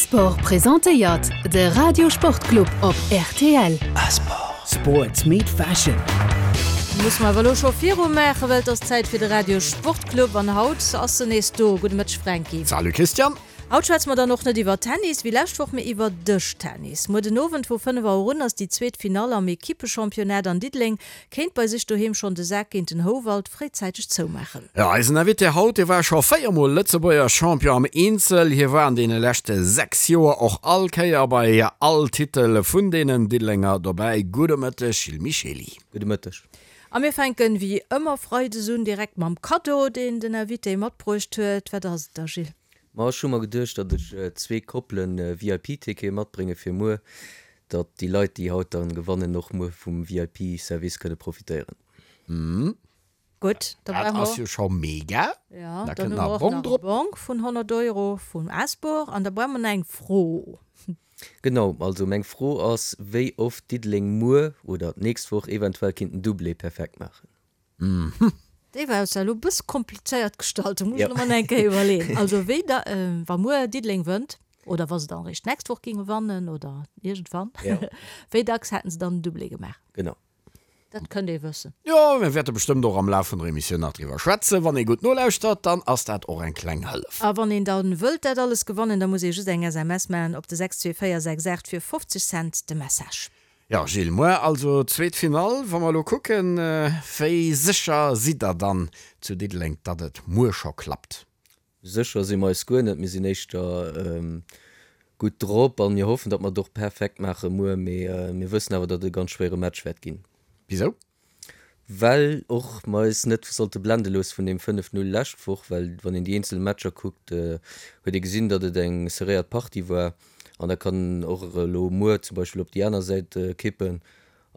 Asport presentéiert de Radio Sportclub op rtl. Asport. Sports meet fashion. Musse mer awer elo scho viru maachen, well et ass Zäit fir de Radio Sportclub an haut ass en nees do. Gudde Mëtteg Franky. Salut Christian. Haut schwätze mer dann och net iwwer Tennis wéi lescht Woch, mee iwwer Dëschtennis. Muer den Owend vu 5 Auer un ass déi zweet Finall am Ekippechampionnat an Diddeleng kéint bei sech doheem schonn de Sak géint den Houwald fréizäiteg zoumaachen. Jo, eisen Invité haut, dee war scho 4 mol Lëtzebuerger Champion am Eenzel. Hie war an deene leschte 6 Joer och all Kéier bei all Titel vun deenen Diddelenger dobäi. Gudde Mëtteg Gilles Michely. Gudde Mëtteg. A mir fänken wéi ëmmer freides un direkt mam Kaddo, deen den Invité matbruecht huet. Wat ass et da Gilles? Ma ech hu mer geduecht, datt ech zwee Koppelen VIP-Tickete matbrénge fir muer, datt déi Leit, déi haut dann gewannen, och muer vum VIP-Service kënne profitéieren. Gutt, da Dat brauche ass mer. jo scho mega. Jo, Da dann kënnt hu nach mer e och Bong nach e drop. Bong vun 100 Euro vum Asbor an da brauche mer nach eng Fro. Genau, also meng Fro ass, wéi oft Diddeleng muer oder d'nächst Woch eventuell kinnt en Doublé perfekt maachen? Déi war jo elo e bësse komplizéiert gestallt, do muss ech Jo. elo mol eng Kéier iwwerleeën. Also wéi da, wa muer Diddeleng wënnt, oder wa se dann eréischt d'nächst Woch géinge wannen oder iergendwann, Jo. wéi dacks hätten se dann en Doublé gemaach? Genau. Dat kënnt ee wëssen. Jo, mir wäerte bestëmmt och am Laf vun der Emissioun nach driwwer schwätzen. Wann ee gutt nolauschtert, dann ass dat och eng kleng Hëllef. A wann een dann wëllt dat alles gewannen, da muss ee just eng SMS maachen op de 62468 fir 50 Cent de Message. Jo, Gilles, muer also zweet Finall. Wa mer elo kucken, wéi sécher sidd der dann zu Diddeleng, datt et muer scho klappt? Sécher si mer eis guer net. Mir sinn éischter gutt drop a mir hoffen, datt mer et och perfekt maache muer. Mee mir wëssen awer, datt et e ganz schwéiere Match wäert ginn. Wisou? Well och mer eis net sollte blende loosse vun deem 5, 0 lescht Woch, well wann een déi eenzel Matcher kuckt, huet ee gesinn, datt et eng serréiert Partie war an dat kann och elo muer zum Beispill op déi aner Säit kippen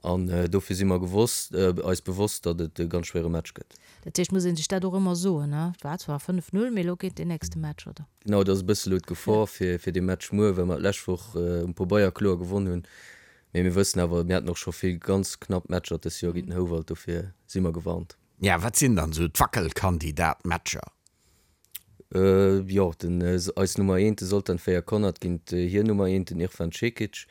an dofir si mer gewosst, eis bewosst, datt et e ganz schwéiere Match gëtt. Dat heescht, muss ee sech dat och ëmmer soen, ne? Et war zwar 5, 0, mee elo geet deen nächste Match, oder? Genau, dat ass e bësse elo d'Gefor fir dee Match muer, well mer d'lescht Woch um Pobeier kloer gewonn hunn. Mee mir wëssen awer, mir haten och scho vill ganz knapp Matcher dës Joer géint den Houwald, dofir si mer gewarnt. Ja, wat sinn dann esou d'Wackelkandidat-Matcher? Jo, den eis Nummer eent, de Zoltan Fejer-Konnerth géint hir Nummer eent, den Irfan Cekic.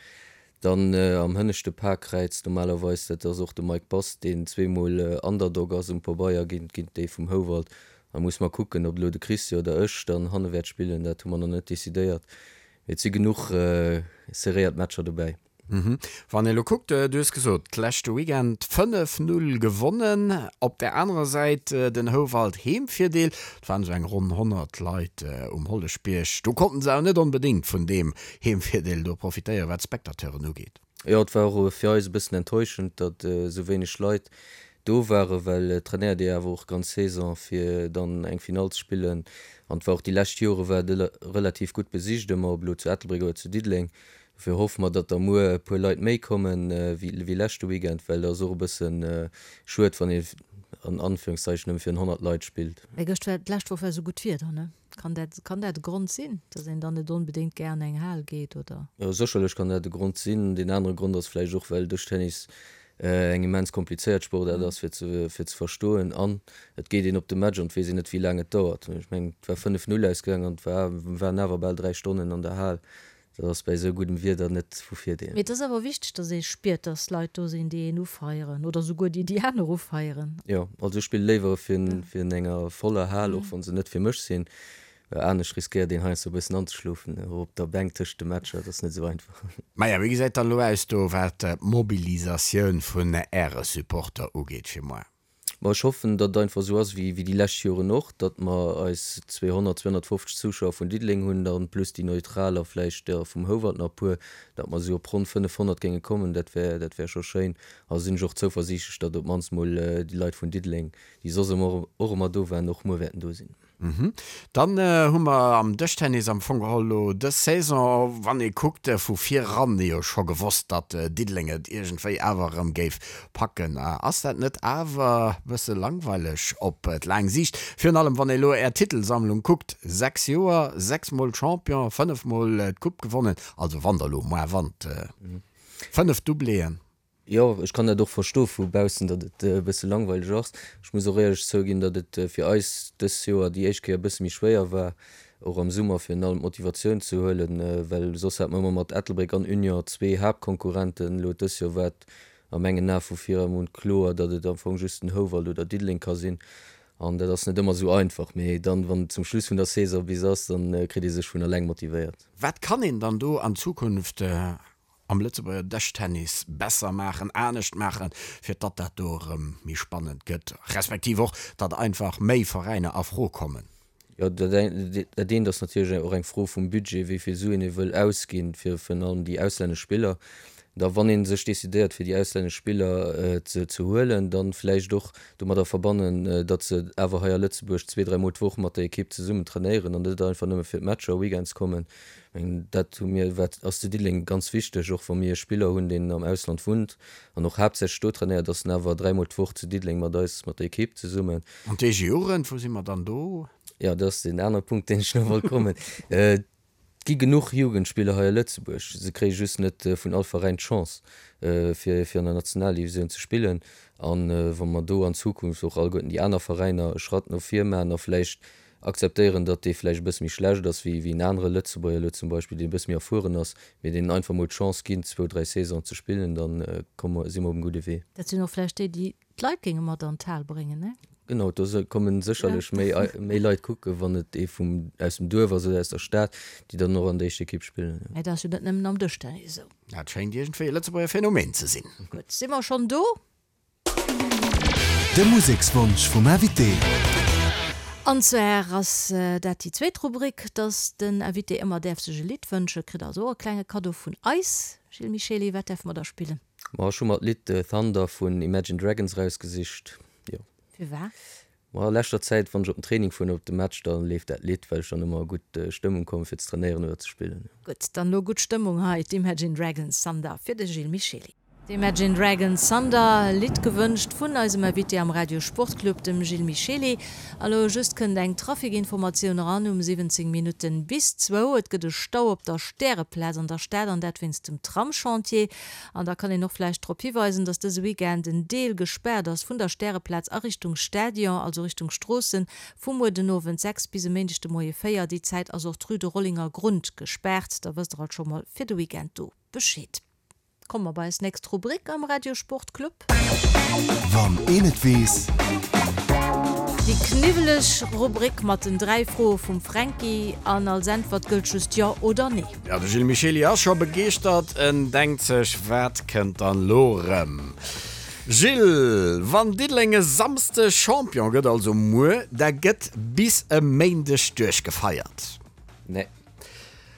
Dann am hënneschte Paarkräiz normalerweis, dat ass och de Mike Bass, deen zweemol Underdog ass um Pabeier géint géint déi vum Houwald. Da muss mer kucken, ob elo de Christi oder ech dann hanne wäert spillen, dat hu mer nach net decidéiert. Et si genuch serréiert Matcher dobäi. Wann ee lo kuckt, du hues gesot, d'leschte Weekend 5, 0 gewonnen, op där anerer Säit den Houwald Heemvirdeel, et waren esou eng ronn 100 Leit um Holleschbierg, do konnten se awer net onbedéngt vun deem Heemvirdeel do profitéieren, wat d'Spectateuren ugeet. Jo, et war och fir eis e bëssen enttäuschend, datt esou wéineg Leit do waren, well et trainéiert ee awer och ganz Saison fir dann eng Finall ze spillen an et war och déi lescht Jore war et relativ gutt besicht ëmmer, ob elo zu Ettelbréck oder zu Diddeleng. Dofir hoffe mer, datt da muer e puer Leit méi kommen wéi leschte Weekend, well et ass och e bësse schued, wann ee an Anführungszeichen nëmme virun 100 Leit spillt. Mee gëscht war, d'lescht Woch war esou gutt Wieder, ne? Kann dat, kann dat e Grond sinn, datt een dann net onbedéngt gär an eng Hal geet, oder? Jo, sécherlech kann dat e Grond sinn. Deen anere Grond ass vläicht och, well Dëschtennis eng immens komplizéiert Sportaart ass fir ze, fir ze verstoen. An et geet een op de Match an et weess een net, wéi laang et dauert. Ech mengen, et war 5, 0 ausgaangen an et war, waren awer bal 3 Stonnen an der Hal. Dat ass bäi esou guddem Wieder net vu Virdeel. Mee et ass awer wichteg, datt ee spiert, datt Leit do sinn, déi een ufeieren oder souguer déi déi aner ufeieren. Jo, also ech spille léiwer virun enger voller Hal, och wa se net fir mech sinn. Well anescht riskéiert een heiansdo e bëssen anzeschlofen op der Bänk tëscht de Matcher. Dat ass net esou einfach. Maja, wéi gesäit dann elo aus do, wat d'Mobilisatioun vun Äre Supporter ugeet fir muer? Ma ech hoffen, datt et einfach esou ass wéi déi lescht Joren och, datt mer eis 200, 250 Zuschauer vun Diddeleng hunn, dann plus déi Neutral a vläicht der vum Houwald nach e puer, datt mer esou op ronn 500 géinge kommen. Dat wär, dat wär scho schéin. A sinn ech och zouversiichtlech, datt op d'mannst mol déi Leit vun Diddeleng, déi soss ëmmer och ëmmer do waren, och muer wäerten do sinn. Dann hu mer am Dëschtennis am Fong geholl elo dës Saison, wann ee kuckt, vu vir eran jo scho gewosst, datt Diddeleng et iergendwéi awer erëm géif packen. Ass dat net awer e bësse langweileg op d'laang Siicht? Virun allem wann ee elo Är Titelsammlung kuckt, 6 Joer, 6 mol Champion, 5 mol d'Coupe gewonnen, also wann der elo moar wannt, 5 Doubléen. Jo, ech kann dat och verstoe vu baussen, datt et e bësse langweileg ass. Ech muss och éierlech zouginn, datt et fir eis dës Joer déi éischt Kéier e bësse méi schwéier war. Och am Summer virun allem d'Motivatioun ze huelen, well soss hat mer ëmmer mat Ettelbréck an Union zwee Haaptkonkurrenten. Elo dës Joer war et a mengen Ae vu vir un kloer, datt et am Fong just den Houwald oder Diddeleng ka sinn. An dat ass net ëmmer esou einfach, mee dann, wann et zum Schluss vun der Saison bis ass, dann kritt ee sech vun eleng motivéiert. Wat kann een dann do an Zukunft am Lëtzebuerger Dëschtennis besser maachen, anescht maachen, fir datt dat do erëm méi spannend gëtt, respektiv och, datt einfach méi Veräiner a Fro kommen? Jo, dat eent ass natierlech och eng Fro vum Budget, wéi vill Suen ee wëll ausginn, fir virun allem déi auslännesch Spiller. Da wann ee sech decidéiert, fir déi auslännesch Spiller ze huelen, da vläicht och domadder verbannen, datt se awer hei a Lëtzebuerg zwee, dräimol d'Woch mat der Ekipp zesummen trainéieren an net einfach nëmme fir d'Matcher weekends kommen. Ech mengen, dat hu mir, wat ass zu Diddeleng ganz wichteg, och wa mir e Spiller hunn, deen am Ausland wunnt an och haaptsächlech do trainéiert, datt en awer dräimol d'Woch zu Diddeleng mat eis, mat der Ekipp zesummen. An d'EG-Jugend, wou si mer dann do? Jo, dat ass deen anere Punkt, deen ech nach wollt kommen. Et gi genuch Jugendspiller hei a Lëtzebuerg, se kréie just net vun all Veräin d'Chance, fir fir an der Nationaldivisioun ze spillen. A wa mer do an Zukunft och alleguerten déi aner Veräiner e Schratt no vir maachen a vläicht akzeptéieren, datt dee vläicht e bësse méi schlecht ass wéi wéi en anere Lëtzebuerger elo zum Beispill, deen e bësse méi erfueren ass, mee deenen einfach mol d'Chance ginn, zwou, dräi Saisonen ze spillen, da komme si mer op engem gudde Wee. Dat sinn och vläicht déi, déi d'Leit géinge mat an d'Hal bréngen, ne? Genau, do komme sécherlech méi, méi Leit kucken, wann et ee vum, aus dem Duerf ass oder aus der Stad, déi dann och an der éischter Ekipp spillen, jo. Mä dat ass jo net nëmmen am Dëschtennis esou. Dat schéint iergendwéi e Lëtzebuerger Phänomen ze sinn. Gutt, si mer schonn do? De Musekswonsch vum Invité. An zwar ass dat déi zweet Rubrik, dass den Invité ëmmer däerf sech e Lidd wënschen, kritt also och e klenge Kaddo vun eis. Gilles Michely, wat däerfe mer da spillen? Ma ech hu mer d'Lidd Thunder vun Imagine Dragons erausgesicht, jo. Firwat? Ma a leschter Zäit, wann ech op den Training fueren oder op de Match, da leeft dat Lidd, well ech dann ëmmer a gutt Stëmmung kommen, fir ze trainéieren oder ze spillen, jo. Gutt, dann elo gutt Stëmmung hei, d'Imagine Dragons Thunder fir de Gilles Michely. D'Imagine Dragons Thunder, Lidd gewënscht vun eisem Invité am Radio Sportclub, dem Gilles Michely. A lo just kënnt eng Trafikinformatioun eran um 17 Minutten bis zwou. Et gëtt e Stau op der Stäreplaz an der Stad, an dat wéinst dem Tramschantier. An da kann een och vläicht drop hiweisen, dass dëse Weekend en Deel gespaart ass vun der Stäreplaz a Richtung Stadion, also Richtung Stroossen, vu muer den Owend 6 bis e Méindeg de Moie 4. Déi Zäit ass och d'Rue de Rollinger Grund gespaart. Da wësst der alt scho mol fir de Weekend do Bescheed. Komme mer bei eis nächst Rubrik am Radio Sport Club. Wann een et weess. Déi kniwweleg Rubrik mat den 3 Froe vum Fränki an als Äntwert gëllt just Jo oder Nee. Jo, de Gilles Michely ass scho begeeschtert. En denkt sech, Wat kënnt dann lo rëm? Gilles, wann Diddeleng e Samsdeg Champion gëtt, also muer, da gëtt bis e Méindeg duerchgefeiert. Nee.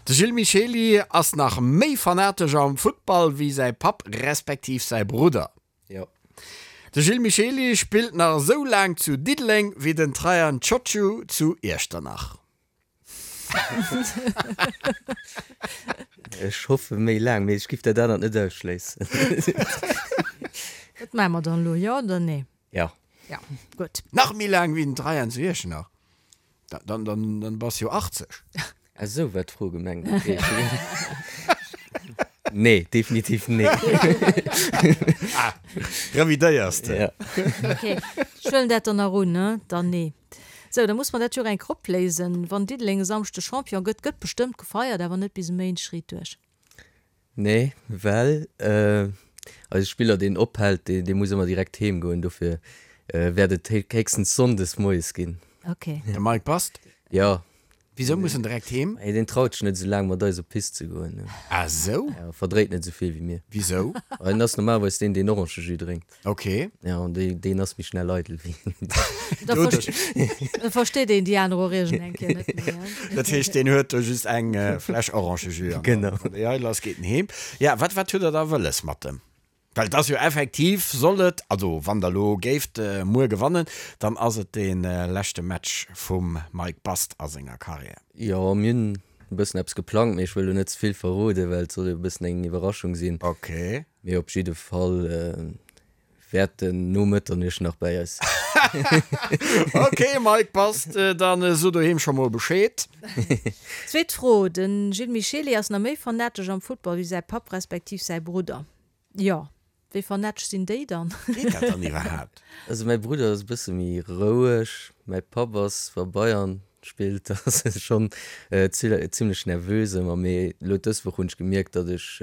De Gilles Michely ass nach méi fanatesch am Futtball wéi säi Papp respektiv säi Brudder. Jo. De Gilles Michely spillt nach esou laang zu Diddeleng wéi den Traian Ciociu zu Iechternach. Ech hoffe méi laang, mee ech giff dat anert net ausschléissen. Wat maache mer dann elo, jo oder nee? Jo. Jo, gutt. Nach méi laang wéi den Traian zu Iechternach? Dann, dann, dann bass jo 80. Ah sou war d'Fro gemengt, okay. Nee, definitiv nee. Ah, revidéiers de? Ja. Okay, ech huelen dat dann nach un, ne? Dann nee. Sou, da muss mer dat jo och eng Kéier opléisen. Wann Diddeleng e Samschde Champion gëtt, gëtt bestëmmt gefeiert, awer net bis e Méindeg riit duerch. Nee, well eise Spiller deen ophält, dee muss ëmmer direkt heem goen, dofir wäert et héchstens Sonndes moies ginn. Ok. De Mike passt? Jo. Wisou muss en direkt heem? Deen traut sech net esou laang mat eis op d'Pist ze goen. Ah sou? Jo, verdréit net esou vill wéi mir. Wisou? En ass normalerweis deen, deen Orangejus drénkt. Ok. Jo, an deen ass méi schnell eidel wéi. Da versteet een déi aner och iergend eng Kéier net méi. Dat heescht, deen huet do just eng Fläsch Orangejus an Genau. wann déi eidel ass, geet en heem. Ja, wat, wat hutt Der da wëlles mat em? Well et ass jo effektiv, soll et, also wann Der elo géift muer gewannen, dann ass et dee leschte Match vum Mike Bast a senger Karriär. Jo, mir hunn e bëssen eppes geplangt, mee ech wëll elo net ze vill verroden, well et soll jo e bëssen eng Iwwerraschung sinn. Ok. Mee op jidde Fall Wäert en no Mëtternuecht nach bäi eis sinn. Ok Mike, passt, dann so doheem scho mol Bescheed. Zweet Fro, De Gilles Michely ass nach méi fanatesch am Football wéi säi Papp respektiv säi Brudder. Jo, wéi fanatesch sinn déi dann? Geet dat dann iwwerhaapt? Also mäi Brudder ass e bësse méi roueg, mäi Papp ass zwar Bayern. spillt, da ass e schonn zimmlech nervös ëmmer. Mee elo dës Woch hunn ech gemierkt, datt ech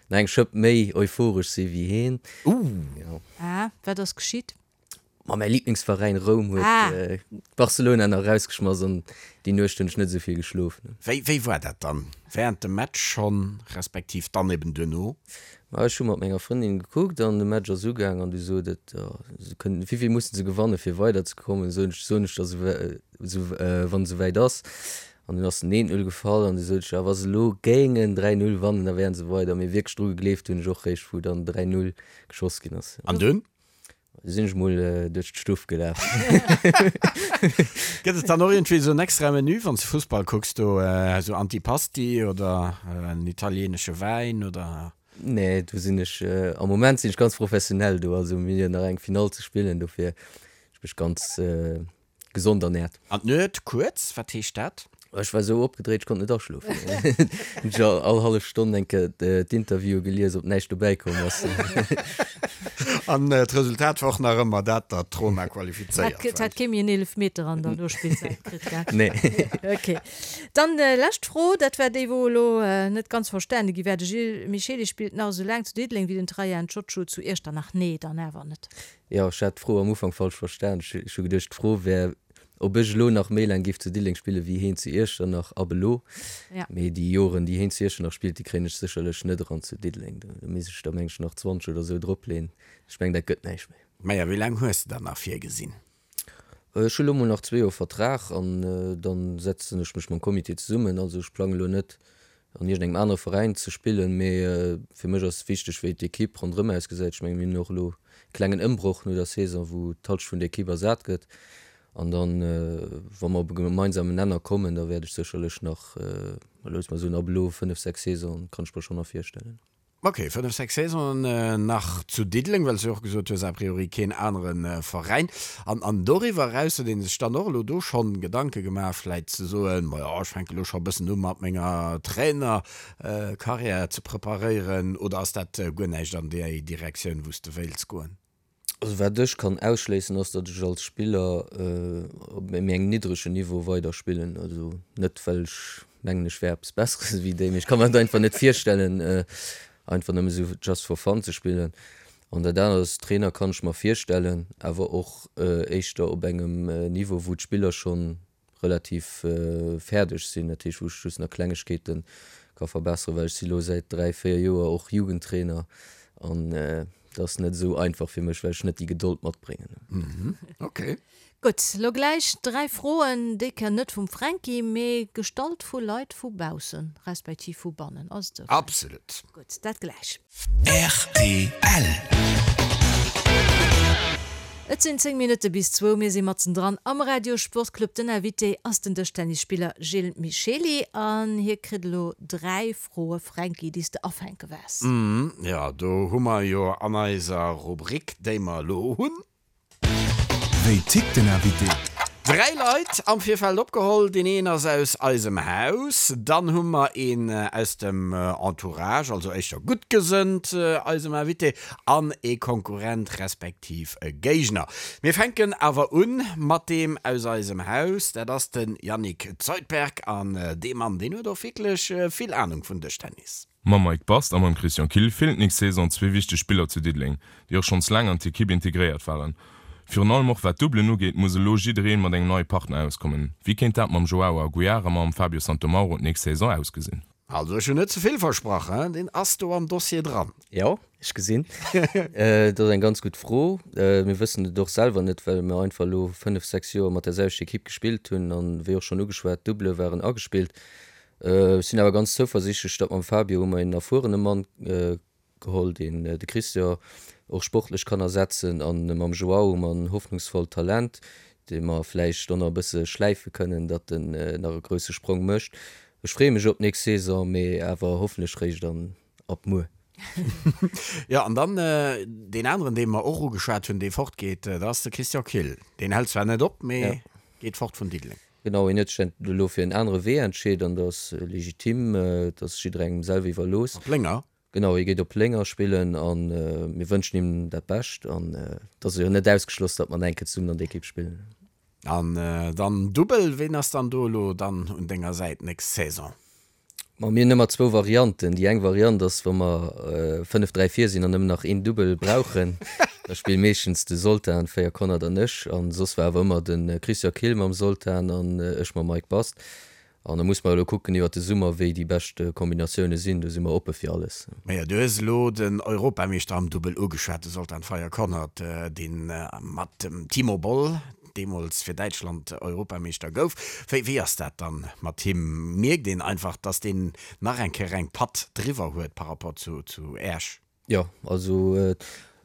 nach eng Schëpp méi euphoresch si wéi heen. Ooh! Ah, wat ass geschitt? Ma mäi Liblingsveräin Roum huet Barcelona nach erausgeschmass an déi Nuecht hunn ech net esou vill geschlof. Wéi wéi war dat dann während dem Match schonn, respektiv dann eben duerno? Ma ech hu mat menger Frëndin gekuckt an de Match ass ugaang an du sot et, jo se kënnen, wéivill mussen se gewanne fir weider ze kommen? Soen ech, soen ech der esou wann et esouwäit ass. An dunn ass den 1, 0 gefall an du sot ech, ah wa se elo géingen 3, 0 wannen, da wären se weider. Mee wierklech dru gegleeft hunn ech och réischt wou dann 3, 0 geschoss ginn ass. An dunn? Du sinn ech mol duerch d'Stuff gelaf. Gëtt et dann och iergendwéi esou en extra Menü, wann s de Fussball kucks do, esou Antipasti oder en italieenesche Wäin oder? Nee, do sinn ech, am Moment sinn ech ganz professionell do. Also mir hunn jo nach eng Finall ze spillen, dofir ech mech ganz Gesond ernährt. An d'Nuet kuerz, wat heescht dat? Ech war sou opgedréit, ech konnt net aschlofen. Hunn ech all hallef Stonn eng Kéier d'Interviewe gelies, ob näischt dobäi komm ass. An d'Resultat war och nach ëmmer dat, datt d'Roma qualifizéiert war. Hat kee méi en Eelefmeter an der Nospillzäit kritt, gell? Nee. Ok. Dann lescht Fro, dat war déi, wou elo net ganz verstane gi war. De Gilles Michely spillt nach esou laang zu Diddeleng wéi den Trajan Ciocciu zu Iechternach. Nee, dann awer net. Jo, ech hat d'Fro am Ufank falsch verstan. Ech hu geduecht, d'Fro wär, ob ech elo nach méi laang géif zu Diddeleng spillen, wéi heen zu Iechternach ab elo. Mee déi Joren, déi heen zu Iechternach spillt, déi kréien ech sécherlech net eran zu Diddeleng. Do misst ech der, meng ech, nach 20 oder esou dropleeën. Ech mengen, dat gëtt näischt méi. Maja, wéi laang hues de dann nach virgesinn? Ech hu lo mol nach zwee Joer Vertrag an dann setzen ech mech mam Comité zesummen. Also ech plange lo net an iergendengem anere Veräin ze spillen, mee fir mech ass wichteg wéi d'Ekipp ronderëm ausgesäit. Ech menge mir hunn och elo e klengen Ëmbroch no der Saison, wou d'Halschent vun der Ekipp ersat gëtt an dann wa mer op e gemeinsamen Nenner kommen, da wäert ech sécherlech nach, loosse mer soen ab elo 5, 6 Saisonen kann ech mer schonn nach virstellen. Ok, 5, 6 Saisonen nach zu Diddeleng, well s du jo och gesot hues, a priori keen anere Veräin. An, an doriwwer eraus huet ee sech dann och elo do schonn Gedanke gemaach, vläit ze soen, majo, ech fänke elo scho e bëssen u mat menger Trainer-Karriär ze preparéieren, oder ass dat guer näischt an déi Direktioun, wou s de wéilts goen? Also wat ech kann ausschléissen ass, datt ech als Spiller op méi engem niddregen Niveau weider spillen. Also net well ech mengen ech wär eppes Besseres ewéi déi, mee ech kann mer et einfach net virstellen einfach nëmme sou just for fun ze spillen. An dat anert ass, Trainer kann ech mer virstellen, awer och éischter op engem Niveau wou d'Spiller schonn relativ fäerdeg sinn, dat heescht wou ech just nach Klengegkeete ka verbesseren, well ech si lo säit 3, 4 Joer och Jugendtrainer an dat ass net esou einfach fir mech, well ech net déi Gedold matbréngen. Ok. Gutt, lo gläich 3 Froen, déi Kéier net vum Fränki, mee gestallt vu Leit vu baussen, respektiv vu bannen. Ass et esou, Fränki? Absolut. Gutt, dat gläich. Rtl. Et sinn 10 Minutte bis zwou, mir si matzen dran am Radio Sportclub. Den Invité ass den Dëschtennisspiller Gilles Michely an hie kritt elo 3 Froe, Fränki, déi s de afänke waars. Jo, do hu mer jo an eiser Rubrik, déi mer elo hunn, Wéi tickt den Invité? Dräi Leit am Virfeld opgeholl. Deen een ass aus eisem Haus, dann hu mer een aus dem Entourage, also éischter gutt gesënnt eisem Invité, an ee Konkurrent respektiv e Géigner. Mir fänken awer un mat deem aus eisem Haus, dat ass de Yannick Zuidberg. An dee Mann, deen huet och wierklech vill Anung vun Dëschtennis. Mam Mike Bast a mam Christian Kill feelen d'nächst Saison zwee wichteg Spiller zu Diddeleng, déi och schonns laang an d'Ekipp integréiert waren. Virun allem och wat d'Doublen ugeet, muss elo jiddereen mat engem neie Partner auskommen. Wéi kéint dat mam Joao Aguiar a mam Fabio Santomauro d'nächst Saison ausgesinn? Also ech hunn net ze vill versprach, hein, deen ass do am Dossier dran. Jo, ech gesinn. Dat ass eng ganz gutt Fro. Mir wëssen et och selwer net, well mir einfach elo 5, 6 Joer mat der selwechter Ekipp gespillt hunn an, wéi och schonn ugeschwat, d'Doublë waren agespillt. Ech sinn awer ganz zouversiichtlech, datt mam Fabio hu mer een erfuerene Mann geholl, deen de Christian och sportlech kann ersetzen, a mam Joao hu mer en hoffnungsvollt Talent, dee mer vläicht och nach e bësse schläife kënnen, datt en nach e grousse Sprong mécht. Ech freeë mech op d'nächst Saison, mee awer hoffentlech réischt an ab muer. Jo, an dann deen aneren, dee mer och ugeschwat hunn, dee fortgeet, dat ass de Christian Kill. Deen hält zwar net op, mee geet fort vun Diddeleng. Genau, hien huet sech elo fir en anere Wee entscheet an dat ass legitim, dat ass jidderengem selwer iwwerlooss. Op Lénger? Genau, hie geet op Lénger spillen a mir wënschen him dat Bescht an et ass jo net ausgeschloss, datt mer nach eng Kéier zesummen an der Ekipp spillen. An dann Dubbel, ween ass dann do elo dann un denger Säit nächst Saison? Ma mir hunn ëmmer zwou Varianten. Déi eng Variant ass, wa mer 5, 3 vir sinn an nëmmen nach een Dubbel brauchen, da spille meeschtens de Zoltan, 4 Konrad an ech. An soss war awer ëmmer de Christian Kill mam Zoltan an ech mam Mike Bast. An da musse mer elo kucken iwwert de Summer, wéi déi bescht Kombinatioune sinn. Do si mer oppe fir alles. Majo, du hues elo den Europameeschter am Dubbel ugeschwat, de Zoltan Fejer-Konrad, dee mat dem Timo Boll deemools fir Däitschland Europameeschter gouf. Wéi, wéi ass dat dann mat him? Mierkt een einfach, datt deen nach eng Kéier eng Patt driwwer huet par rapport zu, zu Äech? Jo, also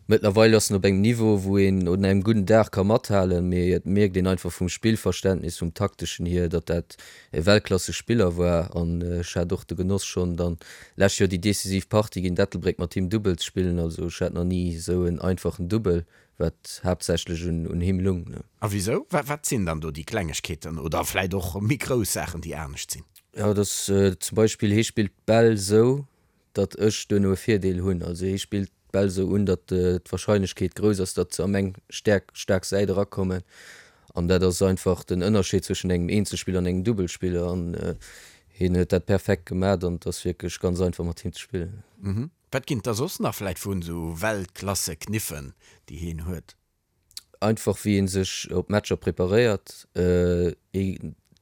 mëttlerweil ass en op engem Niveau, wou een un engem gudden Dag ka mathalen, mee et mierkt een einfach vum Spillverständnis, vum takteschen hier, datt dat e Weltklassespiller war. An ech hat och de Genoss schonn dann lescht Joer déi decisiv Partie géint Ettelbréck mat him Dubbel ze spillen. Also ech hat nach ni esou en einfachen Dubbel, wat haaptsächlech un him lung. A wisou? Wat sinn dann do déi Klengegkeeten oder vläit och méi grouss Saachen, déi anescht sinn? Jo, et ass zum Beispill, hie spillt d'Bäll esou, datt ech duerno e Virdeel hunn. Also hie spillt d'Bäll esou un, datt d'Warscheinlechkeet grouss ass, datt se a meng stäerk, staark Säit erakommen. An dat ass einfach den Ënnerscheed zwëschen engem Eenzelspiller an engem Dubbelspiller. An hien huet dat perfekt gemat an et ass wierklech ganz einfach mat him ze spillen. Wat ginn et da soss nach vläit vun esou Weltklasse-Kniffen, déi hien huet? Einfach wéi ee sech op Matcher preparéiert. Ee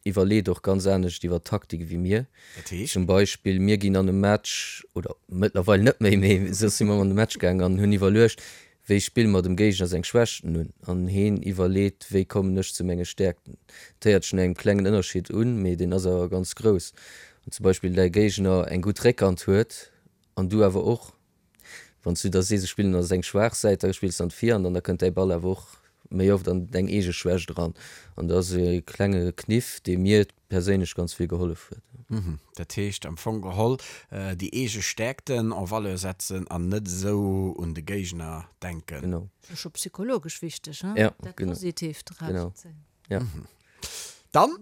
iwwerleet och ganz anescht iwwer Taktik ewéi mir. Dat heescht? Zum Beispill mir ginn an e Match, oder mëttlerweil net méi, mee soss si mer an de Match gaangen an hunn iwwerluecht, wéi spille mer dem Géigner seng Schwächten un. An heen iwwerleet, wéi kommen ech zu menge Stäerkten. Dat héiert sech no engem klengen Ënnerscheed un, mee deen ass awer ganz grouss. Wann zum Beispill däi Géigner eng gutt Réckhand huet an du awer och, Wann s du da sees, ech spillen a seng schwaach Säit, da spills de an d'Virhand an da kënnt däi Ball awer och méi oft an deng eege Schwächt eran. An dat ass e klenge Kniff, dee mir perséinlech ganz vill gehollef huet. Dat heescht am Fong geholl déi eege Stäerkten en valeur setzen an net esou un de Géigner denken. Genau. Dat ass scho psychologesch wichteg, he? Dat Positiivt erauszezéien. Genau, ja. Dann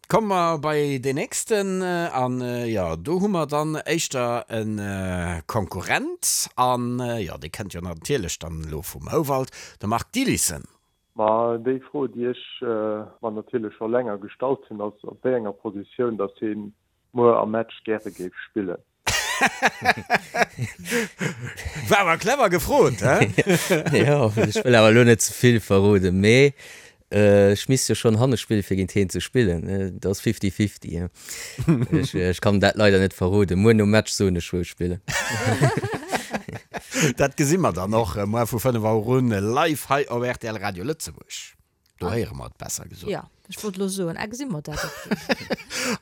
komme mer bei deen nächsten an jo, do hu mer dann éischter e Konkurrent an jo, dee kënnt jo natierlech dann elo vum Houwald, de Marc Dielissen. Ma déi Fro, déi ech mer natierlech scho länger gestallt hunn, ass, op wéi enger Positioun datt hie muer am Match gäre géif spillen. War awer clever gefrot, he? Jo, ech wëll awer elo net ze vill verroden, mee ech misst jo schonn hanne spillen, fir géint hien ze spillen. Dat ass fifty fifty, he. Ech, ech kann dat leider net verroden. Muer nom Match soen ech, wou ech spillen. Dat gesi mer dann och muer vu 5 Auer un live hei op rtl Radio Lëtzebuerg. Do héiere mer et, besser gesot. Jo, ech wollt elo soen, ah, gesi mer dat och do.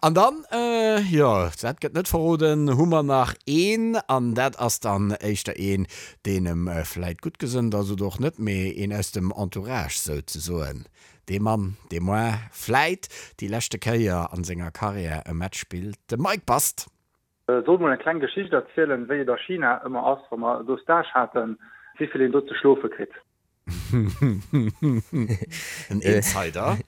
An dann, jo, dat gëtt net verroden, hu mer nach een, an dat ass dann éischter een, deen em vläit gutt gesënnt ass oder och net, mee een aus dem Entourage souzesoen. Dee Mann, dee moar vläit déi leschte Kéier an senger Karriär e Match spillt, de Mike Bast. Soll mol eng kleng Geschicht erzielen, wéi et a China ëmmer ass, wa mer do Stage haten, wéivill een do ze schlofe kritt. En Insider.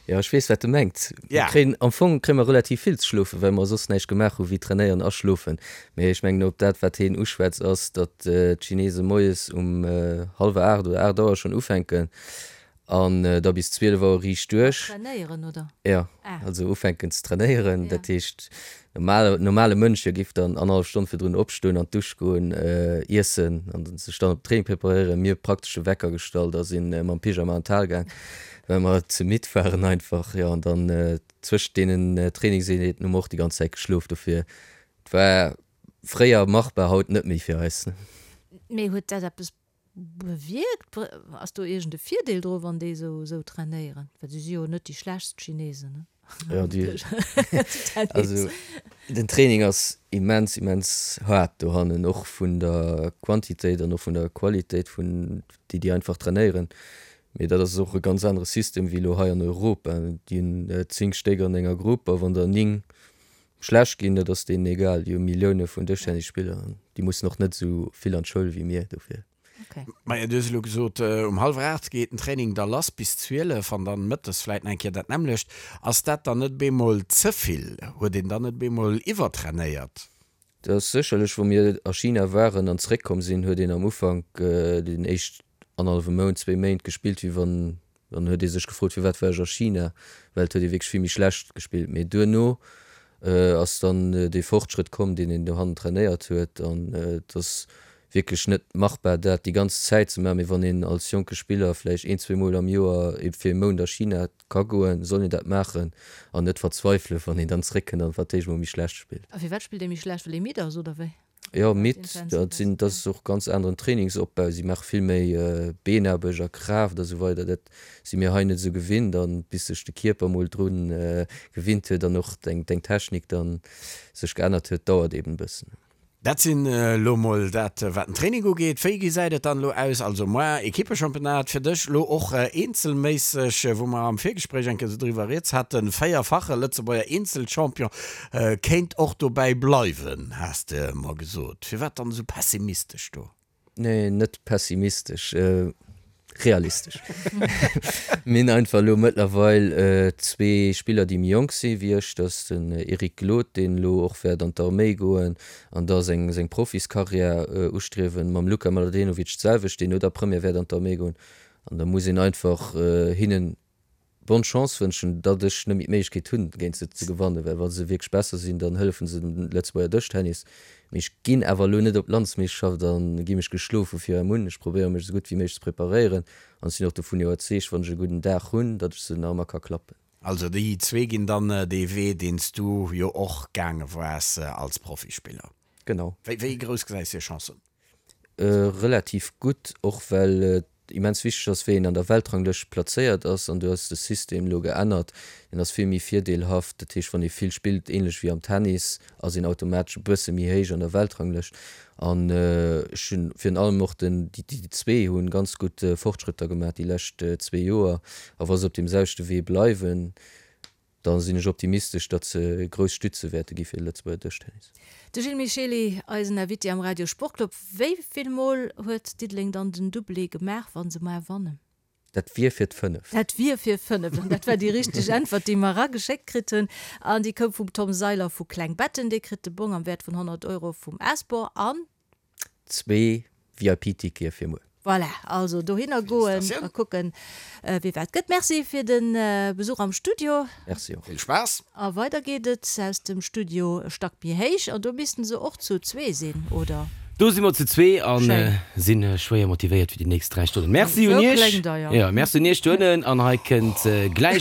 Jo, ech weess, wat de mengt. Mir kréien, am Fong kréie mer relativ vill ze schlofen, well mer soss näischt gemaach hu wéi trainéieren a schlofen. Mee ech mengen, op dat, wat heen uschwätzt, ass, datt d'Chinese moies um hallwer 8 oder 8 Auer schonn ufänken An da bis 12 Auer riicht duerch. Mat trainéieren, oder? Jo, also ufänken ze trainéieren. Dat heescht, normal, normale Mënsch, hie géif dann annerhallef Stonn virdrun opstoen, an d'Dusch goen, iessen an sech dann op den Training preparéieren. Mir hu praktesch de Wecker gestallt a si mam Pyjama an d'Hal gaang, well mer ze midd waren einfach. Jo, an dann zwëschent deenen Trainingseenheeten hu mer och déi ganz Zäit geschlof. Dofir, et war fréier machbar, haut net méi fir eis. Mee huet dat eppes Bewierkt? Ass do iergend e Virdeel dru wann déi esou esou trainéieren? Well si si jo net déi schlechtst Chinesen, ne? Jo, déi, also den Training ass immens, immens haart dohannen, och vun der Quantitéit an och vun der Qualitéit vun déi déi einfach trainéieren. Mee dat ass och e ganz anere System wéi elo hei an Europa. Déi hunn 10 Stéck an enger Grupp a wann der 9 Schlecht ginn, dat ass deenen egal. Déi hu Millioune vun Dëschtennisspiller an déi mussen och net esou vill an d'Schoul wéi mir dofir. Maja, du hues elo gesot, um hallwer 8 geet den Training da lass bis 12 an dann mëttes vläit nach eng Kéier dat nämmlecht. Ass dat dann net bemol ze vill? Huet een dann net bemol iwwertrainéiert? Dat ass sécherlech, wou mir a China waren an zeréckkomm sinn, huet een am Ufank, den éischt annerhallwe Mount, zwéi Méint gespillt, wéi wann. Dann huet ee sech gefrot, firwat war ech a China, well et huet ee wierklech vill méi schlecht gespillt. Mee duerno ass dann dee Fortschrëtt komm, deen een dohannen trainéiert huet. An et ass wierklech net machbar, dat déi ganz Zäit ze maachen. Mee wann een als jonke Spiller vläicht een, zweemol am Joer fir ee Mount a China ka goen, soll een dat maachen an net verzweifelen, wann een dann zeréckkënnt an fir d'éischt emol méi schlecht spillt. A firwat spillt ee méi schlecht? Well ee midd ass, oder wéi? Jo, midd, dat sinn, dat ass och ganz aneren Trainingsopbau. Si maache vill méi Beenaarbecht a Kraaft a sou weider. Dat si mir hei net esou gewinnt an bis sech de Kierper mol dru gewinnt huet an och deng Technik dann sech geännert huet, dauert eben e bëssen. Dat sinn elo mol dat wat den Training ugeet. Wéi gesäit et dann elo aus? Also moar Equippechampionnat fir dech, elo och eenzelméisseg, wou mer am Virgespréich eng Kéier esou driwwer rieds haten, véierfache Lëtzebuerger Eenzelchampion. Kéint och dobäi bleiwen, has de mer gesot. Firwat dann esou pessimistesch do? Nee, net pessimistesch, realistesch. Mir hunn einfach elo mëttlerweil zwee Spiller, déi méi jonk si wéi ech. Dat ass den Eric Glod, deen elo och wäert an d'Arméi goen an da seng seng Profiskarriär ustriewen. Mam Luka Mladenovic d'selwecht, deen no der Première wäert an d'Arméi goen. An da muss een einfach hinnen Bonne Chance wënschen, datt ech net méi d'Méiglechkeet hunn, géint se ze gewannen, well wa se wierklech besser sinn, dann hëllefen se dem Lëtzebuerger Dëschtennis. Mee ech ginn awer elo net op d'Landsmeeschterschaft a gi mech geschloe vu vir un. Ech probéiere mech esou gutt wéi méiglech ze preparéieren an ech sinn och dovun iwwerzeegt, wann ech e gudden Dag hunn, datt ech se nach ëmmer ka klappen. Also déi zwee ginn dann dee Wee, deen s du jo och gaange waars als Profispiller. Genau. Wéi grouss gesäis de hir Chancen? Relativ gutt, och well et immens wichteg ass, wéi een an der Weltranglëscht plazéiert ass. An do ass de System elo geännert, deen ass vill méi virdeelhaft. Dat heescht, wann ee vill spillt, ähnlech wéi am Tennis, ass een automatesch e bësse méi héich an der Weltranglëscht. An ech hunn virun allem och den, déi zwee hu ganz gutt Fortschrëtter gemaach déi lescht zwee Joer. A wa se op deem selwechte Wee bleiwen, Da sinn ech optimistesch, datt se grouss Stütze wäerte gi fir de Lëtzebuerger Dëschtennis. De Gilles Michely, eisen Invité am Radio Sportclub. Wéi vill Mol huet Diddeleng dann den Doublé gemaach, wa se muar wannen? Dat wier fir d'fënneft. Dat wier fir fënneft. An dat war déi richteg Äntwert, déi mer erageschéckt kritt hunn. An déi koum vum Tom Seiler vu Klengbetten. Dee kritt de Bong am Wäert vun 100 Euro vum Asbor an. Zwee VIP-Tickete fir muer. Voilà, also dohinner goen a kucken, wie wat gëtt. Merci fir de Besuch am Studio. Merci och. Vill Spaass! A weider geet et aus dem Studio e Stack méi héich. An do missten se och zu zwee sinn, oder? Do si mer zu zwee a si schwéier motivéiert fir déi nächst 3 Stonnen. Merci un Iech. Jo, merci un Iech dohennen. An hei kënnt gläich.